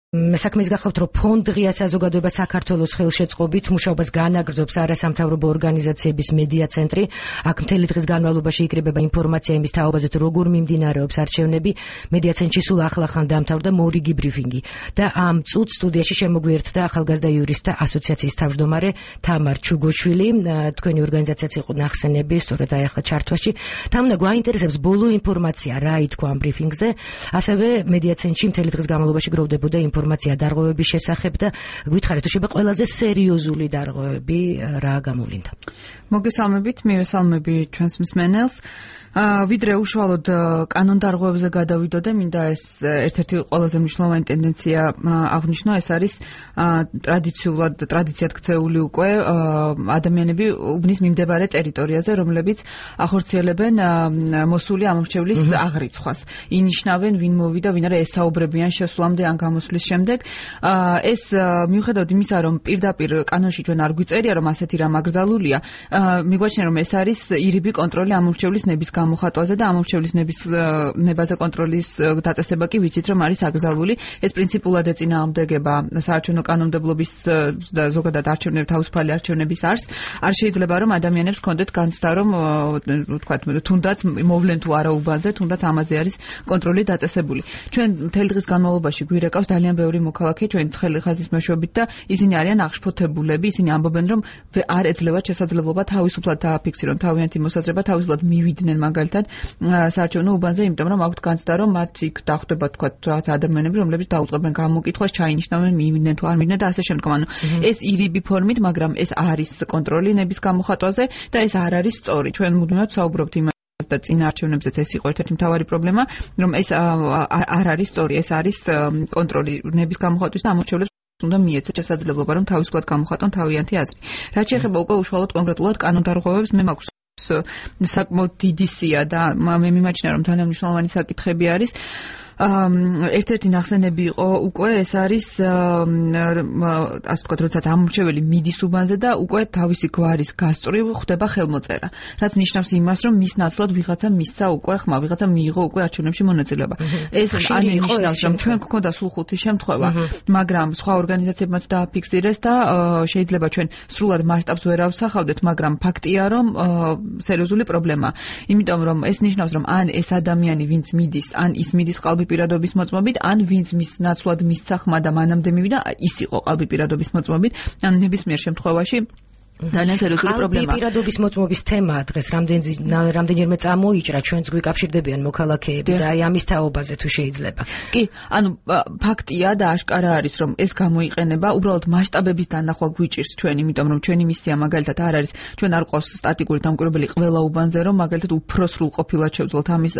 საქმის გახლავთ, რომ ფონდ ღია საზოგადოება საქართველოს ხელშეწყობით მუშაობას განაგრძობს არასამთავრობო ორგანიზაციების მედია ცენტრი. აქ მთელი დღის განმავლობაში იკრიბება ინფორმაცია იმის თაობაზე, როგორ მიმდინარეობს არჩევნები. მედია ცენტრში სულ ახლახან დამთავრდა მორიგი ბრიფინგი და ამ წუთს სტუდიაში შემოგვიერთდა ახალგაზრდა იურისტთა ასოციაციის თავმჯდომარე თამარ ჩუგოშვილი. თქვენი ორგანიზაციაც იყო ნახსენები, სწორედ აი ახლა ჩართვაში. თამნა, გვაინტერესებს ბოლო ინფორმაცია, რა ითქვა ამ ბრიფინგზე. ასევე მედია ცენტრში მთელი დღის განმავლობაში გროვდებოდა ინფორმაცია დარღვევების შესახებ და გითხარით, თუ შეიძლება ყველაზე სერიოზული დარღვევები რა გამოვლინდა. მოგესალმებით, მივესალმები ჩვენს მსმენელს. ვიდრე უშუალოდ კანონდარღვევებზე გადავიდოდე, მინდა ეს ერთ-ერთი ყველაზე მნიშვნელოვანი ტენდენცია აღნიშნო, ეს არის ტრადიციად ქცეული უკვე ადამიანები უბნის მიმდებარე ტერიტორიაზე, რომლებიც ახორციელებენ მოსული ამორჩევლის აღრიცხვას. ინიშნავენ, ვინ მოვიდა, ვინ არა, ესაუბრებიან შესვლამდე ან გამოსვლის შემდეგ. ეს მიუხედავად იმისა, რომ პირდაპირ კანონში ჩვენ არ გვიწერია, რომ ასეთი რამ აკრძალულია, მიგვაჩნია, რომ ეს არის ირიბი კონტროლი ამორჩევლის ნების გამოხატვაზე და ამორჩევლის ნებაზე კონტროლის დაწესება კი ვიცით, რომ არის აკრძალული. ეს პრინციპულად ეწინააღმდეგება საარჩევნო კანონმდებლობის და ზოგადად თავისუფალი არჩევნების არსს. არ შეიძლება, რომ ადამიანებს ჰქონდეთ განცდა, რომ ვთქვათ, თუნდაც მოვლენ თუ არა უბანზე, თუნდაც ამაზე არის კონტროლი დაწესებული. ჩვენ მთელი დღის განმავლობაში გვირეკავს ძალიან ბევრი მოქალაქე ჩვენი ცხელი ხაზის მეშვეობით და ისინი არიან აღშფოთებულები, ისინი ამბობენ, რომ არ ეძლევათ შესაძლებლობა თავისუფლად დააფიქსირონ თავიანთი მოსაზრება, თავისუფლად მივიდნენ მაგალითად საარჩევნო უბანზე, იმიტომ რომ აქვთ განცდა, რომ მათ იქ დახვდება თქვათ ადამიანები, რომლებიც დაუწყებენ გამოკითხვას, ჩაინიშნავენ, მივიდნენ თუ არ მივიდნენ და ასე შემდგომ. ანუ ეს ირიბი ფორმით, მაგრამ ეს არის კონტროლი ნების გამოხატვაზე და ეს არ არის სწორი. ჩვენ მუდმივად საუბრობთ და წინა არჩევნებზეც ეს იყო ერთ-ერთი მთავარი პრობლემა, რომ ეს არ არის სწორი, ეს არის კონტროლი ნების გამოხატვის და ამორჩევლებს უნდა მიეცეთ შესაძლებლობა, რომ თავისუფლად გამოხატონ თავიანთი აზრი. რაც შეეხება უკვე უშუალოდ კონკრეტულად კანონდარღვევებს, მე მაქვს საკმაოდ დიდი სია და მე მიმაჩნია, რომ ძალიან მნიშვნელოვანი საკითხები არის. ერთ-ერთი ნახსენები იყო უკვე ეს არის ასე ვთქვათ, როდესაც ამორჩეველი მიდის უბანზე და უკვე თავისი გვარის გასწვრივ ხდება ხელმოწერა, რაც ნიშნავს იმას, რომ მის ნაცვლად ვიღაცა მისცა უკვე ხმა, ვიღაცა მიიღო უკვე არჩევნებში მონაწილეობა. ეს ნიშნავს, რომ ჩვენ გვქონდა სულ 5 შემთხვევა, მაგრამ სხვა ორგანიზაციებმაც დააფიქსირეს და შეიძლება ჩვენ სრულად მასშტაბს ვერ ავსახავდეთ, მაგრამ ფაქტია, რომ სერიოზული პრობლემაა. იმიტომ რომ ეს ნიშნავს, რომ ან ეს ადამიანი, ვინც მიდის, ან ის მიდის ყალბი პირადობის მოწმობით, ან ვინც მის ნაცვლად მისცა ხმა და მანამდე მივიდა, ის იყო ყალბი პირადობის მოწმობით, ან ნებისმიერ შემთხვევაში ძალიან სერიოზული პრობლემაა. ყალბი პირადობის მოწმობის თემა დღეს რამდენჯერმე წამოიჭრა, ჩვენც გვიკავშირდებიან მოქალაქეები და აი ამის თაობაზე თუ შეიძლება. კი, ანუ ფაქტია და აშკარა არის, რომ ეს გამოიყენება, უბრალოდ მასშტაბების დანახვა გვიჭირს ჩვენ, იმიტომ რომ ჩვენი მისია მაგალითად არ არის, ჩვენ არ ყავს სტატიკური დამკვირვებელი ყველა უბანზე, რომ მაგალითად უფრო სრულყოფილად შევძლოთ ამის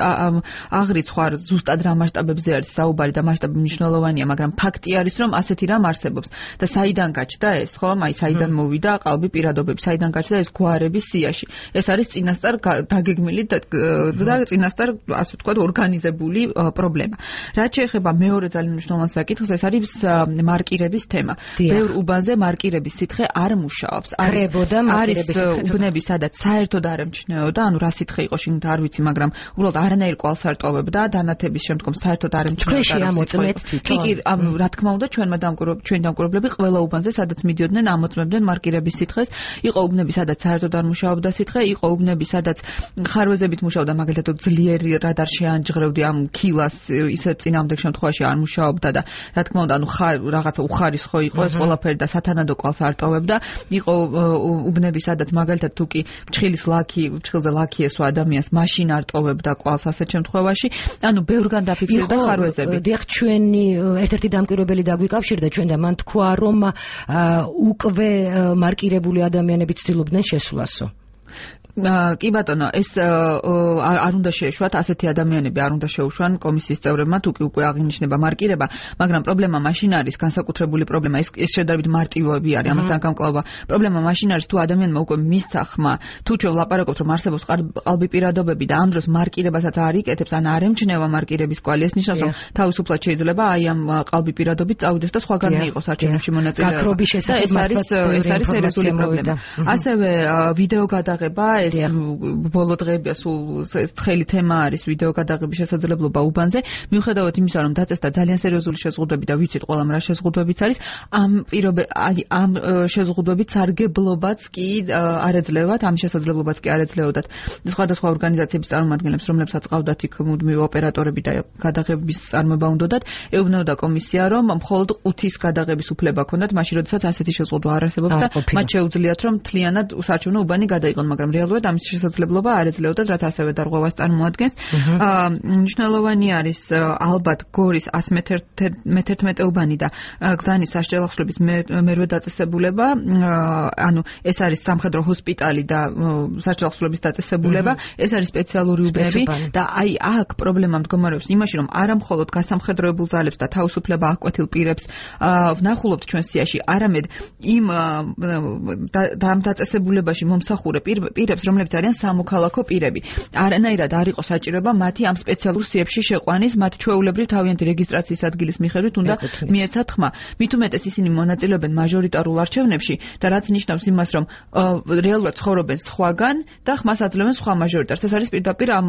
აღრიცხვა, ზუსტად რა მასშტაბებზე არის საუბარი და მასშტაბი მნიშვნელოვანია, მაგრამ ფაქტი არის, რომ ასეთი რამ არსებობს და საიდან გაჩნდა ეს, ხო? აი საიდან მოვიდა ყალბი პირადობები, საიდან გაჩნდა ეს გვარების სიაში. ეს არის წინასწარ დაგეგმილი და წინასწარ, ასე ვთქვათ, ორგანიზებული პრობლემა. რაც შეეხება მეორე ძალიან მნიშვნელოვან საკითხს, ეს არის მარკირების თემა. ბევრ უბანზე მარკირების სითხე არ მუშაობს. არის უბნები, სადაც საერთოდ არ ემჩნეოდა, ანუ რა სითხე იყო შიგნით არ ვიცი, მაგრამ უბრალოდ არანაირ კვალს არ ტოვებდა, დანათების შემდგომ საერთოდ არ ემჩნეოდა. კი, რა თქმა უნდა, ჩვენი დამკვირვებლები ყველა უბანზე, სადაც მიდიოდნენ, ამოწმებდნენ მარკირების სითხეს. იყო უბნები, სადაც საერთოდ არ მუშაობდა სითხე, იყო უბნები, სადაც ხარვეზებით მუშაობდა, მაგალითად ძლიერი რადარ შეანჯღრევდი ამ ქილას, ისე წინამდებ შემთხვევაში არ მუშაობდა და რა თქმა უნდა, ანუ რაღაცა უხარისხო იყო ეს ყველაფერი და სათანადო კვალს არ ტოვებდა. იყო უბნები, სადაც მაგალითად თუ კი ფრჩხილზე ლაქი ესვა ადამიანს, მაშინ არ ტოვებდა კვალს ასეთ შემთხვევაში. ანუ ბევრგან დაფიქსირდა ხარვეზები. დიახ, ჩვენი ერთ-ერთი დამკვირვებელი დაგვიკავშირდა ჩვენ და მან თქვა, რომ უკვე მარკირებული ადამიანები ცდილობდნენ შესვლასო. კი ბატონო, ეს არ უნდა შეეშვათ, ასეთი ადამიანები არ უნდა შეუშვან კომისიის წევრებმა, თუ კი უკვე აღინიშნება მარკირება, მაგრამ პრობლემა მაშინ არის, განსაკუთრებული პრობლემა, ეს შედარებით მარტივები არის, ამასთან გამკლავება. პრობლემა მაშინ არის, თუ ადამიანმა უკვე მისცა ხმა, თუ ჩვენ ვლაპარაკობთ, რომ არსებობს ყალბი პირადობები და ამ დროს მარკირებასაც არ იკეთებს, ან არ ემჩნევა მარკირების კვალი, ეს ნიშნავს, რომ თავისუფლად შეიძლება აი ამ ყალბი პირადობით წავიდეს და სხვაგან მიიღოს არჩევნებში მონაწილეობა. გაქრობის შესახებ ეს არის სერიოზული პრობლემა. ასევე ვიდეო გადაღება ეს ბოლო დღეებია სულ ცხელი თემა არის ვიდეო გადაღების შესაძლებლობა უბანზე. მიუხედავად იმისა, რომ დაწესდა ძალიან სერიოზული შეზღუდვები და ვიცით ყველამ რა შეზღუდვებიც არის, ამ შეზღუდვებით სარგებლობაც კი არ ეძლევათ, ამ შესაძლებლობაც კი არ ეძლეოდათ სხვადასხვა ორგანიზაციების წარმომადგენლებს, რომლებსაც ყავდათ იქ მუდმივი ოპერატორები და გადაღების წარმოება უნდათ, ეუბნებოდა კომისია, რომ მხოლოდ 5-ის გადაღების უფლება ჰქონდათ, მაშინ როდესაც ასეთი შეზღუდვა არ არსებობდა, მათ შეუძლიათ რომ მთლიანად საარჩევნო უბანი გადაიღონ, მაგრამ რეალურად ამის შესაძლებლობა არ ეძლეოდათ, რაც ასევე დარღვევას წარმოადგენს. მნიშვნელოვანი არის ალბათ გორის 111 მეტრთმეტეობანი და გზანის საშუალებლების მერვე დაწესებულება, ანუ ეს არის სამხედრო ჰოსპიტალი და საშუალებლების დაწესებულება, ეს არის სპეციალური უბნები და აი აქ პრობლემა მდგომარეობს იმაში, რომ არა მხოლოდ გასამხედროებულ ძალებს და თავისუფლება აღკვეთილ პირებს ვნახულობთ ჩვენ სიაში, არამედ იმ დაწესებულებაში მომსახურე პირებს, რომლებიც არიან სამოქალაქო პირები. არანაირად არ იყო საჭიროება მათი ამ სპეციალურ სიებში შეყვანის, მათ ჩვეულებრივ თავიანთი რეგისტრაციის ადგილის მიხედვით უნდა მიეცათ ხმა. მით უმეტეს ისინი მონაწილეობენ მაჟორიტარულ არჩევნებში და რაც ნიშნავს იმას, რომ რეალურად ცხოვრობენ სხვაგან და ხმას აძლევენ სხვა მაჟორიტარს. ეს არის პირდაპირ ამ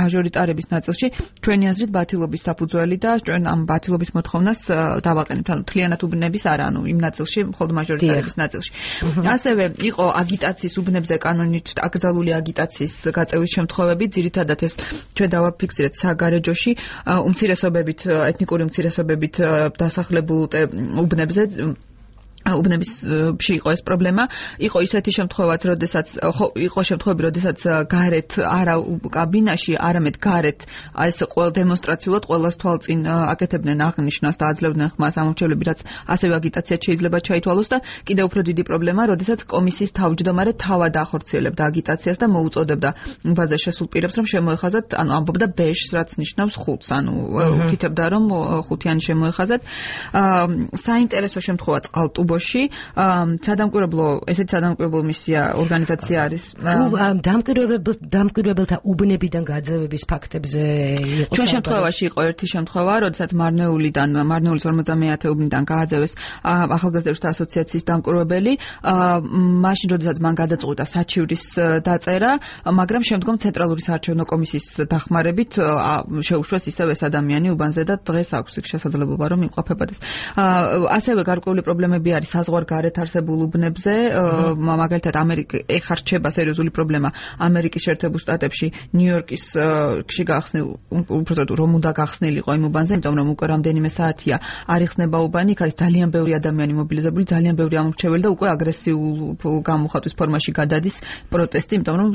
მაჟორიტარების ნაწილში ჩვენი აზრით ბათილობის საფუძველი და ჩვენ ამ ბათილობის მოთხოვნას დავაყენებთ, ანუ მთლიანად უბნების არა, ანუ იმ ნაწილში, მხოლოდ მაჟორიტარების ნაწილში. ასევე იყო აგიტაციის უბნებზე კანონით აკრძალული აგიტაციის გაწევის შემთხვევები, ძირითადად ეს ჩვენ დავაფიქსირეთ საგარეჯოში, უმცირესობებით, ეთნიკური უმცირესობებით დასახლებულ უბნებზე. უბნებში იყო ეს პრობლემა, იყო ისეთი შემთხვევაც, იყო შემთხვევები, როდესაც გარეთ არა კაბინაში, არამედ გარეთ ეს დემონსტრაციულად ყველას თვალწინ აკეთებდნენ აღნიშვნას და აძლევდნენ ხმას ამორჩევლები, რაც ასევე აგიტაციად შეიძლება ჩაითვალოს და კიდევ უფრო დიდი პრობლემა, როდესაც კომისიის თავმჯდომარე თავად ახორციელებდა აგიტაციას და მოუწოდებდა უბანზე შესულ პირებს, რომ შემოეხაზათ, ანუ ამბობდა ბეშს, რაც ნიშნავს ხუთს, ანუ უთითებდა, რომ ხუთიანი შემოეხაზათ. საინტერესო შემთხვევა წყალტუბოში ესეთი სადამკვირვებლო მისია ორგანიზაცია არის. დამკვირვებელთა უბნებიდან გაძევების ფაქტებზე იყო. ჩვენ შემთხვევაში იყო ერთი შემთხვევა, როდესაც მარნეულის 50 უბნიდან გააძევეს ახალგაზრდათა ასოციაციის დამკვირვებელი, მაშინ როდესაც მან გადაწყვიტა საჩივრის დაწერა, მაგრამ შემდგომ ცენტრალური საარჩევნო კომისიის დახმარებით შეუშვეს ისევ ეს ადამიანი უბანზე და დღეს აქვს შესაძლებლობა რომ იმყოფებოდეს. ასევე გარკვეული პრობლემები არის საზღვარგარეთ არსებულ უბნებზე, მაგალითად ეხლა რჩება სერიოზული პრობლემა ამერიკის შეერთებულ შტატებში, ნიუ-იორკისში გახსნილ, უბრალოდ რომ უნდა გახსნილიყო იმ უბანზე, იმიტომ რომ უკვე რამდენიმე საათია არ იხსნება უბანი, იქ არის ძალიან ბევრი ადამიანი მობილიზებული, ძალიან ბევრი ამორჩეველი და უკვე აგრესიულ გამოხატვის ფორმაში გადადის პროტესტი, იმიტომ რომ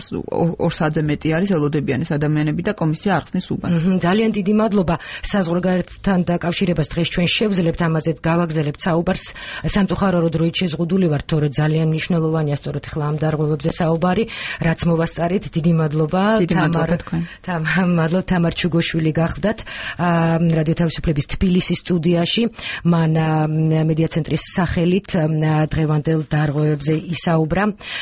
2 საათზე მეტი არის ელოდებიან ეს ადამიანები და კომისია არ ხსნის უბანს. ძალიან დიდი მადლობა საზღვარგარეთთან დაკავშირებას დღეს ჩვენ შევძლებთ, ამაზე გავაგზავნებთ საუბარს. სამწუხარო დროით შეზღუდული ვართ, თორე ძალიან მნიშვნელოვანია სწორედ ახლა ამ დარღვევებზე საუბარი, რაც მოვასწარით. დიდი მადლობა. თამარ ჩუგოშვილი გახდათ რადიო თავისუფლების თბილისის სტუდიაში. მან მედია ცენტრის სახელით დღევანდელ დარღვევებზე ისაუბრა.